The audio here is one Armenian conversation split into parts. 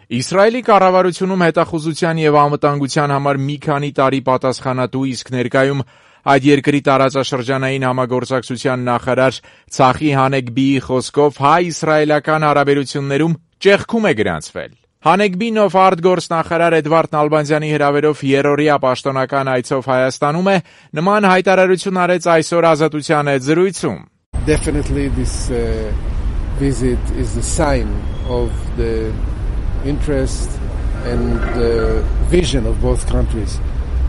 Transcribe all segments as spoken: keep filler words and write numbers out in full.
Իսրայելի կառավարությունում հետախուզության եւ անվտանգության համար մի քանի տարի պատասխանատու, իսկ ներկայում այդ երկրի տարածաշրջանային համագործակցության նախարար Ցախի Հանեգբիի խոսքով հայ-իսրայելական հարաբերություններում ճեղքում է գրանցվել։ Հանեգբին, ով արտգործնախարար Էդվարդ Նալբանդյանի հրավերով երրորդյա պաշտոնական այցով Հայաստանում է, նման հայտարարություն արեց այսօր Ազատության հետ զրույցում։ Definitely this uh, visit is a sign of the interest and the vision of both countries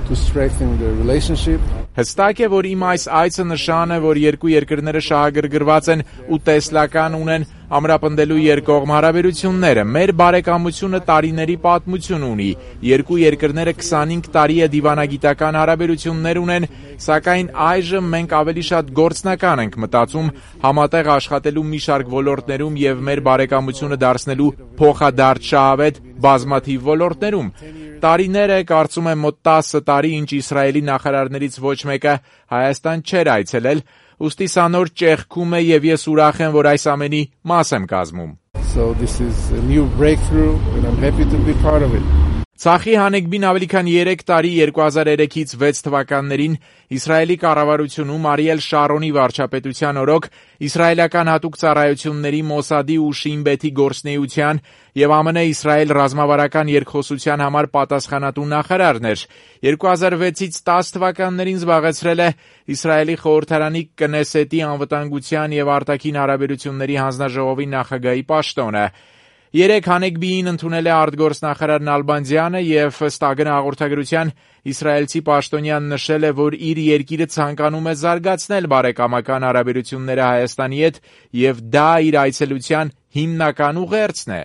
to strengthen the relationship. Հստակ է, որ իմ այս այցը նշան է, որ երկու երկրները շահագրգռված են ու տեսլական ունեն ամրապնդելու երկկողմ հարաբերությունները։ Մեր բարեկամությունը տարիների պատմություն ունի։ Երկու երկրները քսանհինգ տարի է դիվանագիտական հարաբերություններ ունեն, սակայն այժմ մենք ավելի շատ գործնական ենք մտածում համատեղ աշխատելու մի շարք ոլորտներում եւ մեր բարեկամությունը դարձնելու փոխադարձ բազմաթիվ ոլորտներում։ Տարիներ է, կարծում եմ մոտ տասը տարի, ինչ Իսրայելի նախարարներից ոչ մեկը Հայաստան չէր այցելել, ուստի սա նոր ճեղքում է եւ ես ուրախ եմ, որ այս ամենի մաս եմ կազմում։ So this is a new breakthrough and I'm happy to be part of it. Ցախի Հանեգբին ավելի քան երեք տարի երկու հազար երեքից վեց թվականներին Իսրայելի կառավարությունում Արիել Շարոնի վարչապետության օրոք իսրայելական հատուկ ծառայությունների Մոսադի ու Շին Բեթի գործնեության եւ ԱՄՆ-Իսրայել ռազմավարական երկխոսության համար պատասխանատու նախարարն էր։ երկու հազար վեցից տասը թվականներին զբաղեցրել է Իսրայելի խորհրդարանի Կնեսետի անվտանգության եւ արտաքին հարաբերությունների հանձնաժողովի նախագահի պաշտոնը։ Երեք Հանեգբիին ընդունել է արտգործնախարար Նալբանդյանը եւ ըստ ԱԳՆ հաղորդագրության իսրայելցի պաշտոնյան նշել է, որ իր երկիրը ցանկանում է զարգացնել բարեկամական հարաբերությունները Հայաստանի հետ եւ դա իր այցելության հիմնական ուղերձն է։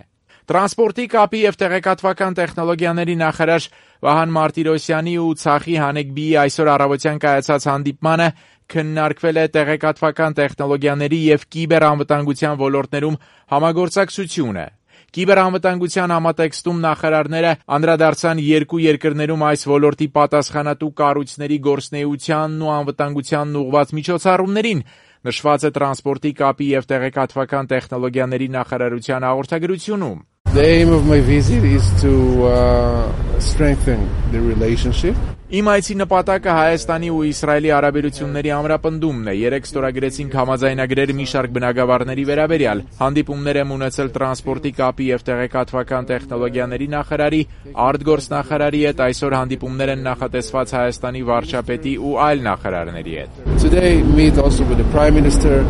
Տրանսպորտի, կապի եւ տեղեկատվական տեխնոլոգիաների նախարար Վահան Մարտիրոսյանի ու Ցախի Հանեգբիի այսօր առավոտյան կայացած հանդիպմանը քննարկվել է տեղեկատվական տեխնոլոգիաների եւ կիբերանվտանգության ոլորտներում համագործակցությունը։ Կիբերանվտանգության համատեքստում նախարարները անդրադարձան երկու երկրներում այս ոլորտի պատասխանատու կառույցների գործունեությանն ու անվտանգությանն ուղղված միջոցառումներին, նշված է տրանսպորտի, կապի եւ տեղեկատվական տեխնոլոգիաների նախարարության հաղորդագրությունում։ The aim of my visit is to uh, strengthen the relationship. Իմ այցի նպատակը Հայաստանի ու Իսրայելի հարաբերությունների ամրապնդումն է։ Երեք ստորագրեցինք համաձայնագրեր մի շարք բնագավառների վերաբերյալ։ Հանդիպումներ եմ ունեցել տրանսպորտի, կապի եւ տեղեկատվական տեխնոլոգիաների նախարարի, արտգործնախարարի հետ, այսօր հանդիպումներ են նախատեսված Հայաստանի վարչապետի ու այլ նախարարների հետ։ Today meet also with the Prime Minister,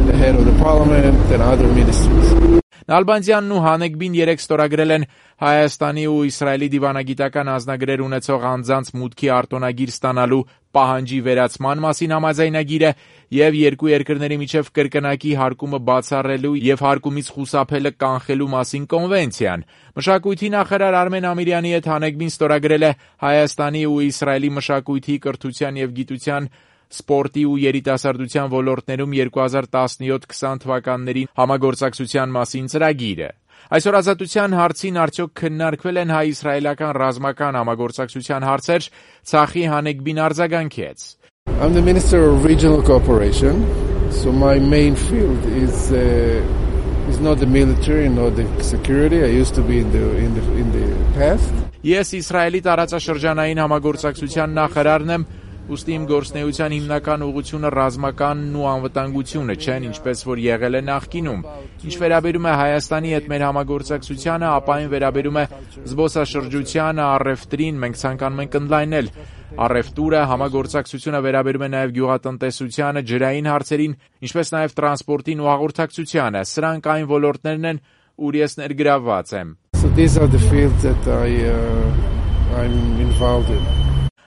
the head of the Parliament and other ministers. Նալբանդյանն ու Հանեգբին երեք ստորագրել են Հայաստանի ու Իսրայելի դիվանագիտական անձնագրեր ունեցող անձանց մուտքի արտոնագիր ստանալու պահանջի վերացման մասին համաձայնագիրը եւ երկու երկրների միջև կրկնակի հարկումը բացառելու եւ հարկումից խուսափելը կանխելու մասին կոնվենցիան։ Մշակույթի նախարար Արմեն Ամիրյանի հետ Հանեգբին ստորագրել է Հայաստանի ու Իսրայելի մշակույթի, կրթության եւ գիտության, սպորտի ու երիտասարդության ոլորտներում երկու հազար տասնյոթ քսան թվականներին համագործակցության մասին ծրագիրը։ Այսօր Ազատության հարցին արդյոք քննարկվել են հայ-իսրայելական ռազմական համագործակցության հարցեր, Ցախի Հանեգբին արձագանքեց։ I'm the Minister of Regional Cooperation, so my main field is uh, is not the military nor the security. I used to be in the in the in the past. Ես Իսրայելի տարածաշրջանային համագործակցության նախարարն եմ, ուստի իմ գործնեության հիմնական ուղղությունը ռազմականն ու անվտանգությունը չեն, ինչպես որ եղել է նախկինում։ Ինչ վերաբերում է Հայաստանի հետ մեր համագործակցությանը, ապա այն վերաբերում է զբոսաշրջությանը, առևտրին, մենք ցանկանում ենք ընդլայնել առևտուրը, համագործակցությունը վերաբերում է նաև գյուղատնտեսությանը, ջրային հարցերին, ինչպես նաև տրանսպորտին ու հաղորդակցությանը։ Սրանք այն ոլորտներն են, ուր ես ներգրավված եմ։ So these are the fields that I uh, I'm involved in.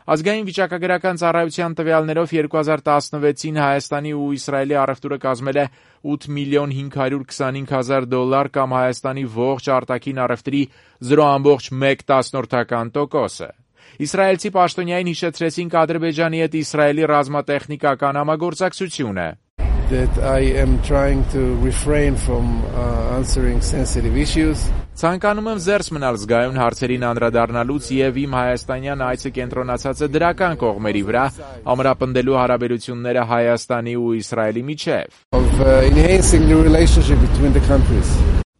Ազգային վիճակագրական ծառայության տվյալներով երկու հազար տասնվեցին Հայաստանի ու Իսրայելի առևտուրը կազմել է ութ միլիոն հինգ հարյուր քսանհինգ հազար դոլար կամ Հայաստանի ողջ արտաքին առևտրի զրո բացարձակ մեկ տասնորդական տոկոսը։ Իսրայելցի պաշտոնյային հիշեցրեցին Ադրբեջանի հետ Իսրայելի ռազմատեխնիկական համագործակցությունը։ That I am trying to refrain from uh, answering sensitive issues. Ցանկանում եմ զերծ մնալ զգայուն հարցերին անդրադառնալուց եւ իմ հայաստանյան այցը կենտրոնացած է դրական կողմերի վրա, ամրապնդելու հարաբերությունները Հայաստանի ու Իսրայելի միջև։ Of uh, enhancing the relationship between the countries.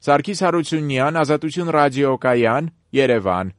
Սարգիս Հարությունյան, Ազատություն ռադիոկայան, Երևան։